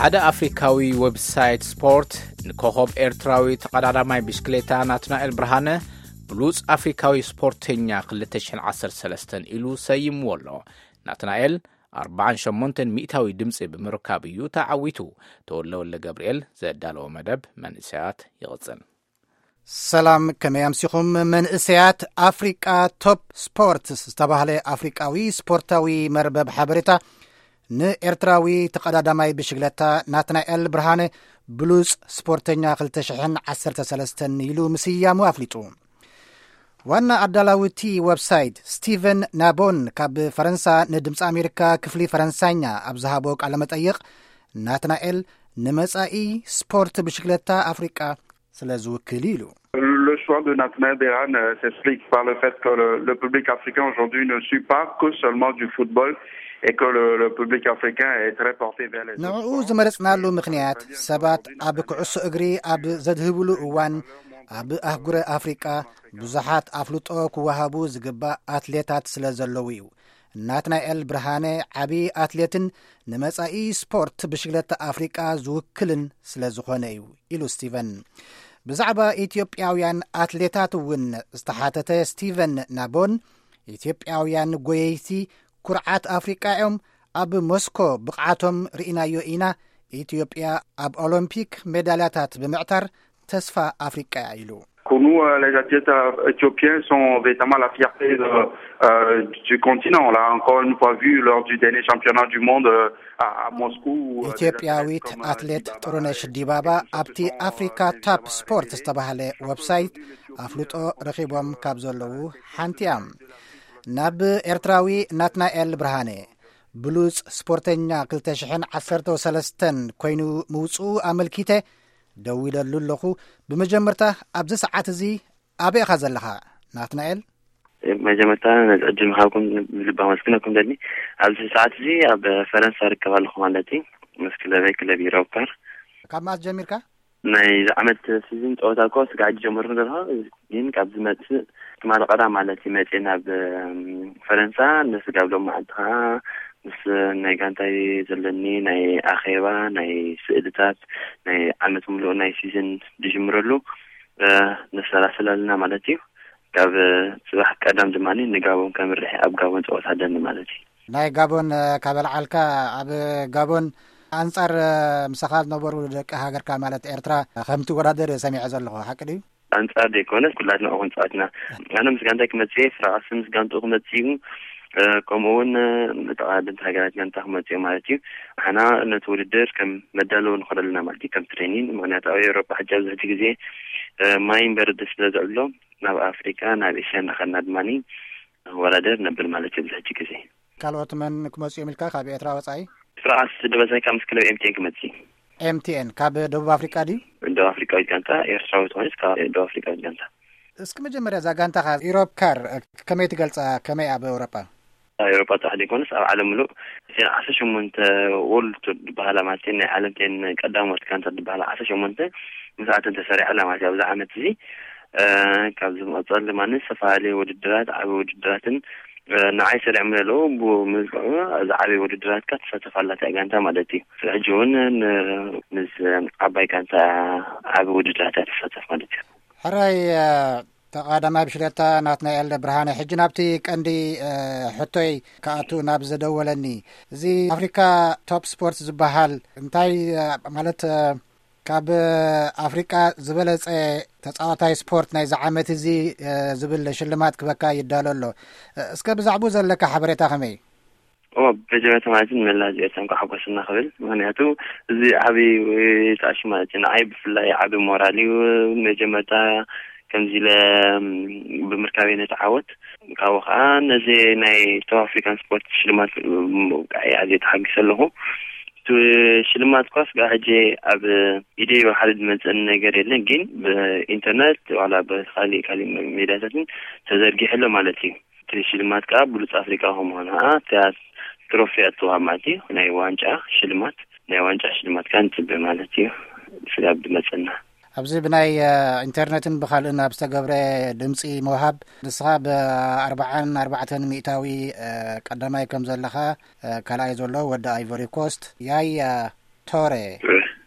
ሓደ ኣፍሪካዊ ዌብሳይት ስፖርት ንኮኸብ ኤርትራዊ ተቐዳዳማይ ብሽክሌታ ናትናኤል ብርሃነ ብሉጽ ኣፍሪካዊ ስፖርተኛ ክልተ ሽሕን ዓሰርተ ሰለስተን ኢሉ ሰይምዎ ኣሎ። ናትናኤል ኣርባዓን ሸሞንተን ሚእታዊ ድምፂ ብምርካብ እዩ ተዓዊቱ። ተወልደ ወልደ ገብርኤል ዘዳለዎ መደብ መንእሰያት ይቕጽል። ሰላም፣ ከመይ ኣምሲኹም? መንእሰያት ኣፍሪቃ ቶፕ ስፖርትስ ዝተባህለ ኣፍሪቃዊ ስፖርታዊ መርበብ ሓበሬታ ንኤርትራዊ ተቐዳዳማይ ብሽግለታ ናትናኤል ብርሃነ ብሉጽ ስፖርተኛ ክልተ ሽሕን ዓሰርተ ሰለስተን ኢሉ ምስያሙ ኣፍሊጡ። ዋና ኣዳላዊ እቲ ዌብሳይት ስቲቨን ናቦን ካብ ፈረንሳ ንድምፂ ኣሜሪካ ክፍሊ ፈረንሳኛ ኣብ ዝሃቦ ቃለ መጠይቕ፣ ናትናኤል ንመጻኢ ስፖርት ብሽግለታ ኣፍሪቃ ስለ ዝውክል ኢሉ። Le choix de Natnael Berhan euh, s'explique par le fait que le, le public africain aujourd'hui ne suit pas que seulement du football et que le, le public africain est très porté vers les autres ንዕኡ sports. ዝመረጽናሉ ምኽንያት ሰባት ኣብ ኩዕሶ እግሪ ኣብ ዘድህብሉ እዋን ኣብ ኣህጉረ ኣፍሪቃ ብዙሓት ኣፍልጦ ክወሃቡ ዝግባእ ኣትሌታት ስለ ዘለዉ እዩ። ናትናኤል ብርሃነ ዓቢ ኣትሌትን ንመጻኢ ስፖርት ብሽግለታ ኣፍሪቃ ዝውክልን ስለ ዝኾነ እዩ ኢሉ ስቲቨን። ብዛዕባ ኢትዮጵያውያን ኣትሌታት እውን ዝተሓተተ ስቲቨን ናቦን፣ ኢትዮጵያውያን ጎየይቲ ኩርዓት ኣፍሪቃ እዮም፣ ኣብ ሞስኮ ብቕዓቶም ርኢናዮ ኢና፣ ኢትዮጵያ ኣብ ኦሎምፒክ ሜዳልያታት ብምዕታር ተስፋ ኣፍሪቃ እያ ኢሉ። Pour nous, euh, les athlètes euh, éthiopiens sont véritablement la fierté de, euh, du continent. On l'a encore une fois vu lors du dernier championnat du monde euh, à, à Moscou. Euh, des athlètes ኢትዮጵያዊት comme, euh, ኣትሌት Dibaba ጥሩነሽ et ዲባባ Christophe ኣብቲ Chepchon, euh, አፍሪካ Benjamin ታፕ ስፖርት Ayele ዝተባህለ et François ዌብሳይት Théodule Ethiopie, ኣፍልጦ euh, ረኺቦም ካብ ዘለዉ ሓንቲ እያ። ናብ ኤርትራዊ ናትናኤል ብርሃነ ብሉጽ ስፖርተኛ ክልተ ሽሕን ዓሰርተ ሰለስተን ኮይኑ ምውጽኡ ኣመልኪተ ደዊለሉ ኣለኹ። ብመጀመርታ ኣብዚ ሰዓት እዚ ኣበይ ኢኻ ዘለኻ ናትናኤል? መጀመርታ ነዚ ዕድል ምሃብኩም ብልቢ ኣመስግነኩም ደሊ። ኣብዚ ሰዓት እዚ ኣብ ፈረንሳ ርከብ ኣለኹ ማለት እዩ። ምስ ክለበይ ክለብ ዩሮፓር። ካብ መዓስ ጀሚርካ? ናይ ዝዓመት ሲዝን ጸወታ እኮ ስጋዕ ጀመርኩ ዘለኹ፣ ግን ካብ ዝመጽእ ትማሊ ቀዳም ማለት እዩ መጽእ ናብ ፈረንሳ። ንስጋብ ሎም መዓልቲ ከዓ ምስ ናይ ጋንታይ ዘለኒ ናይ ኣኼባ፣ ናይ ስእልታት፣ ናይ ዓመት ምሉእ ናይ ሲዝን ዝጅምረሉ ነሰላስል ኣለና ማለት እዩ። ካብ ጽባሕ ቀዳም ድማ ንጋቦን ከምርሕ ኣብ ጋቦን ጸወታ ኣለኒ ማለት እዩ። ናይ ጋቦን ካብ ኣልዓልካ ኣብ ጋቦን ኣንጻር ምሳኻ ዝነበሩ ደቂ ሃገርካ ማለት ኤርትራ ከም ትወዳደር ሰሚዐ ዘለኹ ሓቂ ድዩ? ኣንጻር ዘይኮነስ ኩላትና እኹን ጸወትና ኣነ ምስ ጋንታይ ክመጽእ ፍራቃስ ምስ ጋንትኡ ክመጽእ እዩ። ከምኡ እውን ተቃደምቲ ሃገራት ጋንታ ክመጽእ ማለት እዩ። ኣና ነቲ ውድድር ከም መዳለዊ ንኸደሉና ማለት እዩ ከም ትሬኒን። ምክንያቱ ኣብ ኤውሮጳ ሕጂ ኣብዚ ሕጂ ግዜ ማይን በረድ ስለ ዘዕሎ ናብ ኣፍሪካ ናብ ኤስያ እናኸድና ድማ ንወዳደር ነብል ማለት እዩ ኣብዚ ሕጂ ግዜ። ካልኦት መን ክመጽኡ እዮም ኢልካ ካብ ኤርትራ ወጻኢ? ፍራቃስ ደበሳይ ካብ ምስ ክለብ ኤምቲኤን ክመጽእ። ኤምቲኤን ካብ ደቡብ ኣፍሪቃ ድዩ? ደቡብ ኣፍሪቃዊት ጋንታ ኤርትራዊት ኮይነስ ካብ ደቡብ ኣፍሪቃዊት ጋንታ። እስኪ መጀመርያ እዛ ጋንታኻ ኢሮፕ ካር ከመይ ትገልጻ? ከመይ ኣብ ኤውሮጳ? ኣብ ኤውሮጳ ጥራሕ ዘይኮነስ ኣብ ዓለም ምሉእ እተን ዓሰርተ ሸሞንተ ወርልድ ቱር ዝበሃላ ማለት ናይ ዓለም ቴን ቀዳሞት ጋንታት ዝበሃላ ዓሰርተ ሸሞንተ ምስኣተን ተሰሪዓ ኣላ ማለት እዩ ኣብዚ ዓመት እዚ። ካብ ዝመፀሉ ድማ ዝተፈላለዩ ውድድራት ዓበ ውድድራትን ንዓይ ሰሪዖም ዘለዉ ብምዝግዑ ዝዓበየ ውድድራትካ ትሳተፍ ኣላታ ጋንታ ማለት እዩ። ሕጂ እውን ምስ ዓባይ ጋንታ ዓበ ውድድራት እያ ትሳተፍ ማለት እዩ። ሕራይ ተቐዳማይ ብሽለታ ናትናኤል ብርሃነ፣ ሕጂ ናብቲ ቀንዲ ሕቶይ ክኣቱ ናብ ዘደወለኒ፣ እዚ ኣፍሪካ ቶፕ ስፖርት ዝበሃል እንታይ ማለት ካብ ኣፍሪቃ ዝበለጸ ተጻዋታይ ስፖርት ናይዚ ዓመት እዚ ዝብል ሽልማት ክበካ ይዳሎ ኣሎ። እስከ ብዛዕባኡ ዘለካ ሓበሬታ ከመይ? ኦ በጀመርታ ማለት ንመላእ ህዝቢ ኤርትራ እንኳዕ ሓጎሰና ክብል። ምክንያቱ እዚ ዓብዪ ጣዕሽ ማለት እዩ። ንዓይ ብፍላይ ዓቢ ሞራል እዩ። መጀመርታ ከምዚ ኢለ ብምርካበይ ነቲ ዓወት ካብኡ ከዓ ነዚ ናይ ደቡብ ኣፍሪካን ስፖርት ሽልማት ምብቃዐይ ኣዝየ ተሓጊሰ ኣለኹ። እቲ ሽልማት ኳስ ከዓ ሕጂ ኣብ ኢደይ ብሓደ ዝመፀኒ ነገር የለን፣ ግን ብኢንተርነት ዋላ ብካሊእ ካሊእ ሜድያታትን ተዘርጊሑ ኣሎ ማለት እዩ። እቲ ሽልማት ከዓ ብሉፅ ኣፍሪቃ ከምሆነ ከዓ እታ ትሮፊ ኣትዋ ማለት እዩ። ናይ ዋንጫ ሽልማት ናይ ዋንጫ ሽልማት ከዓ ንፅበ ማለት እዩ። ስጋብ ዝመፀና ኣብዚ ብናይ ኢንተርነትን ብካልእን ኣብ ዝተገብረ ድምፂ ምውሃብ ንስኻ ብኣርባዓን ኣርባዕተን ሚእታዊ ቀዳማይ ከም ዘለኻ ካልኣይ ዘሎ ወዲ ኣይቮሪ ኮስት ያያ ቶሬ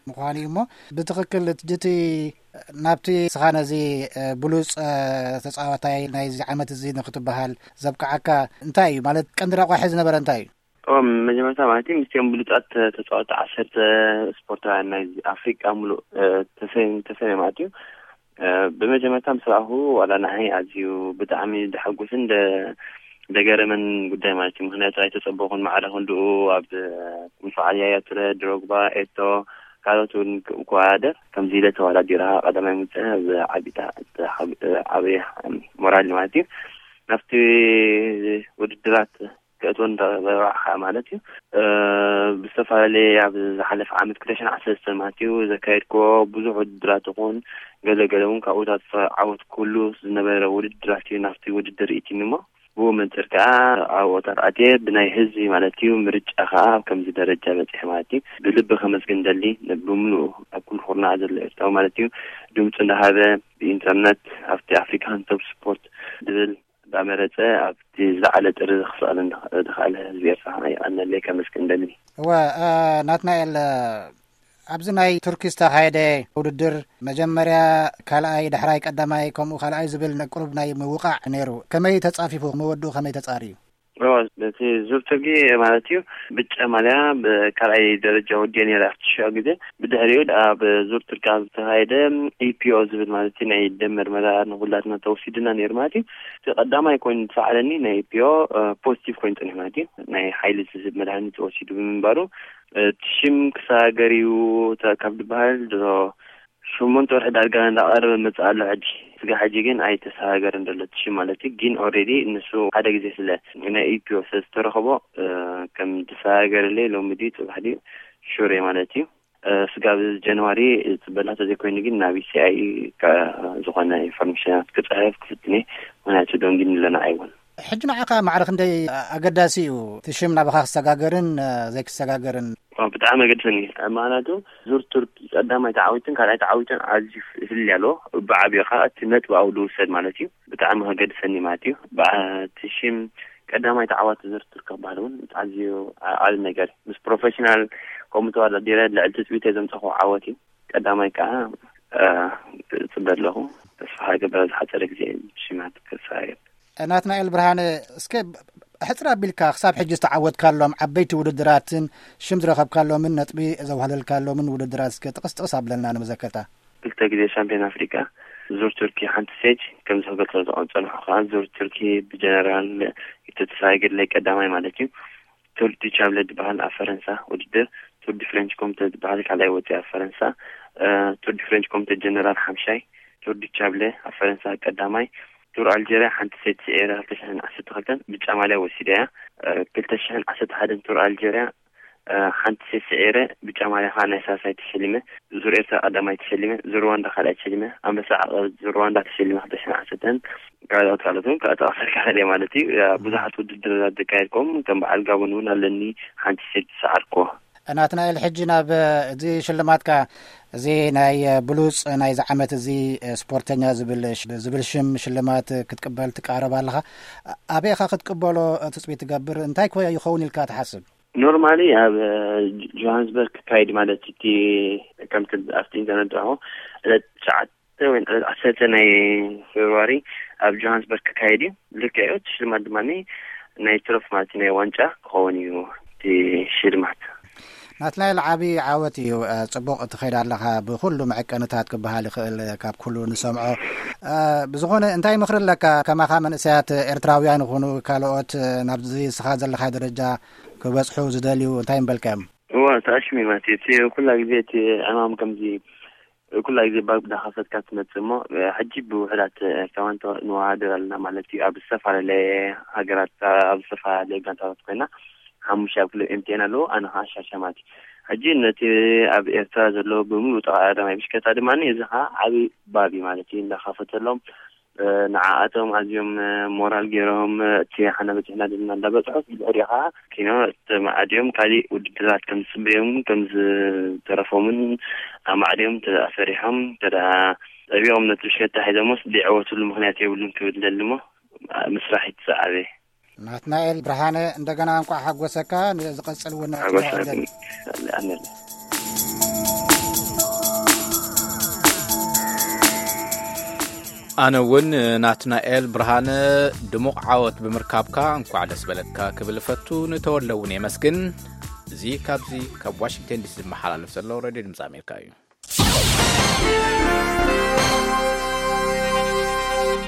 ምዃኑ እዩ። እሞ ብትኽክል እቲ ናብቲ ስኻ ነዚ ብሉፅ ተፃዋታይ ናይዚ ዓመት እዚ ንክትበሃል ዘብቅዓካ እንታይ እዩ? ማለት ቀንዲ ረቋሒ ዝነበረ እንታይ እዩ? መጀመርታ ማለት እዩ ምስቲኦም ብሉፃት ተፃወቲ ዓሰርተ ስፖርታውያን ናይ ኣፍሪቃ ሙሉእ ተሰይም ተሰይም ማለት እዩ። ብመጀመርታ ምስ ረኣኹ ዋላ ንዓይ ኣዝዩ ብጣዕሚ ደሓጉስን ደገረመን ጉዳይ ማለት እዩ። ምክንያቱ ኣይተፀበኹን። ማዕረ ክንድኡ ኣብ ምፍዓል ያያ ቱረ፣ ድሮግባ፣ ኤቶ፣ ካልኦት እውን ክወዳደር ከምዚ ኢለ ተወዳዲራ ቀዳማይ ምውፅእ ብዓቢታ ዓብይ ሞራል ማለት እዩ። ናብቲ ውድድራት ክእትወን በብዓኻ ማለት እዩ። ብዝተፈላለየ ኣብ ዝሓለፈ ዓመት ክልተ ሽሕን ዓሰርተ ሰለስተን ማለት እዩ ዘካየድክዎ ብዙሕ ውድድራት ይኹን ገለገለ እውን ካብኡታት ዓወት ክህሉ ዝነበረ ውድድራት እዩ። ናብቲ ውድድር ይእትኒ እሞ ብኡ መንፅር ከዓ ኣብኦታት ኣትየ ብናይ ህዝቢ ማለት እዩ ምርጫ ከዓ ኣብ ከምዚ ደረጃ በፂሐ ማለት እዩ። ብልቢ ከመስግን ደሊ ብምሉኡ ኣብ ኩሉ ኩርናዕ ዘሎ ኤርትራዊ ማለት እዩ ድምፁ እንዳሃበ ብኢንተርነት ኣብቲ ኣፍሪካን ቶፕ ስፖርት ዝብል እንዳመረፀ ኣብቲ ዝለዓለ ጥሪ ክስኣል ዝኸኣለ ህዝቢ ኤርትራ የቐነለይ ከመስግን ደሊ። እወ ናትናኤል፣ ኣብዚ ናይ ቱርኪ ዝተኻየደ ውድድር መጀመርያ ካልኣይ ዳሕራይ ቀዳማይ ከምኡ ካልኣይ ዝብል ቁሩብ ናይ ምውቃዕ ነይሩ። ከመይ ተፃፊፉ? መወድኡ ከመይ ተፃርዩ? ነቲ ዙር ቱርኪ ማለት እዩ ብጫ ማልያ ብካልኣይ ደረጃ ወዲኦ ነይረ ኣብቲ ሽዑ ግዜ። ብድሕሪኡ ኣብ ዙር ቱርኪ ኣብ ዝተኻየደ ኢፒኦ ዝብል ማለት እዩ ናይ ደም ምርመራ ንኩላትና ተወሲድና ነይሩ ማለት እዩ። እቲ ቀዳማይ ኮይኑ ዝሰዓረኒ ናይ ኢፒኦ ፖዚቲቭ ኮይኑ ፀኒሑ ማለት እዩ። ናይ ሓይሊ ዝህብ መድሃኒት ተወሲዱ ብምንባሩ እቲ ሽም ክሰጋገር እዩ ካብ ዝበሃል ድሮ ሸሞንተ ወርሒ ዳርጋ እንዳቐረበ መፅእ ኣሎ። ሕጂ ስጋ ሕጂ ግን ኣይተሰጋገርን ዘሎ እቲ ሽም ማለት እዩ። ግን ኦልሬዲ ንሱ ሓደ ግዜ ስለ ናይ ኢፒኦ ስለ ዝተረኸቦ ከም ዝሰጋገረለይ ሎሚ ድዩ ፅባሕ ድዩ ሹር እየ ማለት እዩ። ስጋብ ጀንዋሪ ፅበላ ተዘይኮይኑ ግን ናብ ኢሲኣይ ዝኾነ ኢንፎርሜሽናት ክፅሕፍ ክፍትኔ ምክንያቱ ደንጊኒ ኣለና ኣይውን። ሕጂ ንዓኻ ማዕረ ክንደይ ኣገዳሲ እዩ እቲ ሽም ናባኻ ክሰጋገርን ዘይክሰጋገርን? ብጣዕሚ ኣገድሰኒ። ምክንያቱ ዙር ቱርኪ ቀዳማይ ተዓዊትን ካልኣይ ተዓዊትን ኣዝዩ ፍልልይ ኣለዎ። ብዓብዩ ከዓ እቲ ነጥቢ ኣብኡ ዝውሰድ ማለት እዩ። ብጣዕሚ ከገድሰኒ ማለት እዩ። እቲ ሽም ቀዳማይ ተዓዋቲ ዙር ቱርኪ ክበሃል እውን ኣዝዩ ዓቢ ነገር እዩ። ምስ ፕሮፌሽናል ከምኡ ተወዳዲረ ልዕሊ ትፅቢተይ ዘምፀኹ ዓወት እዩ። ቀዳማይ ከዓ እፅበ ኣለኹ። ተስፋ ክገብር ኣብ ዝሓፀረ ግዜ ሽማት ክሰጋገር። ናትናኤል ብርሃነ፣ እስከ ሕፅር ኣቢልካ ክሳብ ሕጂ ዝተዓወትካሎም ዓበይቲ ውድድራትን ሽም ዝረኸብካሎምን ነጥቢ ዘውሃለልካሎምን ውድድራት እስከ ጥቕስ ጥቕስ ኣብለና ንመዘከርታ። ክልተ ግዜ ሻምፒዮን ኣፍሪቃ፣ ዙር ቱርኪ ሓንቲ ስቴጅ ከም ዝገለፅኩ ዝፀንሑ ከዓ ዙር ቱርኪ ብጀነራል ተስፋ ገድለይ ቀዳማይ ማለት እዩ። ቱር ዲ ቻብለ ዝበሃል ኣብ ፈረንሳ ውድድር፣ ቱር ዲ ፍሬንች ኮምተ ዝበሃል ካልኣይ ወፂ ኣብ ፈረንሳ፣ ቱር ዲ ፍሬንች ኮምተ ጀነራል ሓምሻይ፣ ቱር ዲ ቻብለ ኣብ ፈረንሳ ቀዳማይ፣ ቱር ኣልጀርያ ሓንቲ ሴት ስዒረ ክልተ ሽሕን ዓሰርተ ክልተን ብጫ ማልያ ወሲደ እያ። ክልተ ሽሕን ዓሰርተ ሓደን ቱር ኣልጀርያ ሓንቲ ሴት ስዒረ ብጫ ማልያ ከዓ ናይ ሳልሳይ ተሸሊመ። ዙር ኤርትራ ቀዳማይ ተሸሊመ፣ ዙር ሩዋንዳ ካልኣይ ተሸሊመ፣ ኣንበሳ ዓቐብ ዙር ሩዋንዳ ተሸሊመ ክልተ ሽሕን ዓሰርተን ካልኦት ካልኦት እውን ክጠቕሰልካ ክእል እየ ማለት እዩ። ብዙሓት ውድድራት ዘካየድኩም ከም በዓል ጋቦን እውን ኣለኒ ሓንቲ ሴት ዝሰዓርኩዎ። ናትናኤል፣ ሕጂ ናብ እዚ ሽልማትካ፣ እዚ ናይ ብሉጽ ናይዚ ዓመት እዚ ስፖርተኛ ዝብል ዝብል ሽም ሽልማት ክትቅበል ትቃረብ ኣለኻ። ኣበይ ኢኻ ክትቅበሎ ትጽቢት ትገብር? እንታይ ኮ ይኸውን ኢልካ ትሓስብ? ኖርማሊ ኣብ ጆሃንስበርግ ክካይድ ማለት እቲ ከምቲ ኣብቲ ኢንተርነት ረኹ ዕለት ትሽዓተ ወይ ዕለት ዓሰርተ ናይ ፌብርዋሪ ኣብ ጆሃንስበርግ ክካየድ እዩ። ልክዕ እዩ። እቲ ሽልማት ድማ ናይ ትሮፍ ማለት ናይ ዋንጫ ክኸውን እዩ እቲ ሽልማት። ናትናኤል፣ ዓቢ ዓወት እዩ። ጽቡቕ ትኸይድ ኣለኻ ብኹሉ መዐቀንታት ክበሃል ይኽእል ካብ ኩሉ ንሰምዖ። ብዝኾነ እንታይ ምኽሪ ኣለካ ከማኻ መንእሰያት ኤርትራውያን ይኹኑ ካልኦት ናብዚ እስኻ ዘለኻ ደረጃ ክበጽሑ ዝደልዩ እንታይ ምበልካዮም? እዋ ተኣሽሚማት እቲ ኩላ ግዜ እቲ ዕማም ከምዚ ኩላ ግዜ ባብ ዳኸፈትካ ትመጽእ እሞ ሕጂ ብውሕዳት ኤርትራውያን ንወሃደር ኣለና ማለት እዩ። ኣብ ዝተፈላለየ ሃገራት ኣብ ዝተፈላለየ ጋንታታት ኮይና ሓሙሽተ ኣብ ክለብ ኤምቲኤን ኣለዉ ኣነ ከዓ ሻሻማቲ ሕጂ ነቲ ኣብ ኤርትራ ዘሎ ብምሉእ ጠቃዳማይ ብሽከታ ድማ እዚ ከዓ ዓብዪ ባብ እዩ ማለት እዩ እንዳኸፈተሎም ንዓኣቶም ኣዝዮም ሞራል ገይሮም እቲ ሓና በፂሕና ዘለና እንዳበፅሑ ብድሕሪኡ ከዓ ኪኖ ተማዕድዮም ካሊእ ውድድራት ከም ዝፅበዮም ከም ዝተረፎምን ኣማዕድዮም ተፈሪሖም ተዳ ፀቢቆም ነቲ ብሽከታ ሒዞሞስ ዘይዕወትሉ ምክንያት የብሉን ክብል ደሊ እሞ ምስራሕ ይትሰዓበ ናትናኤል ብርሃነ እንደገና እንኳዕ ሓጎሰካ ንዝቐፅል እውን ሓጎስ ኣነለ ኣነ እውን ናትናኤል ብርሃነ ድሙቕ ዓወት ብምርካብካ እንኳዕ ደስ በለካ ክብል እፈቱ። ንተወለ እውን የመስግን። እዚ ካብዚ ካብ ዋሽንግተን ዲሲ ዝመሓላለፍ ዘሎ ሬድዮ ድምፂ ኣሜሪካ እዩ።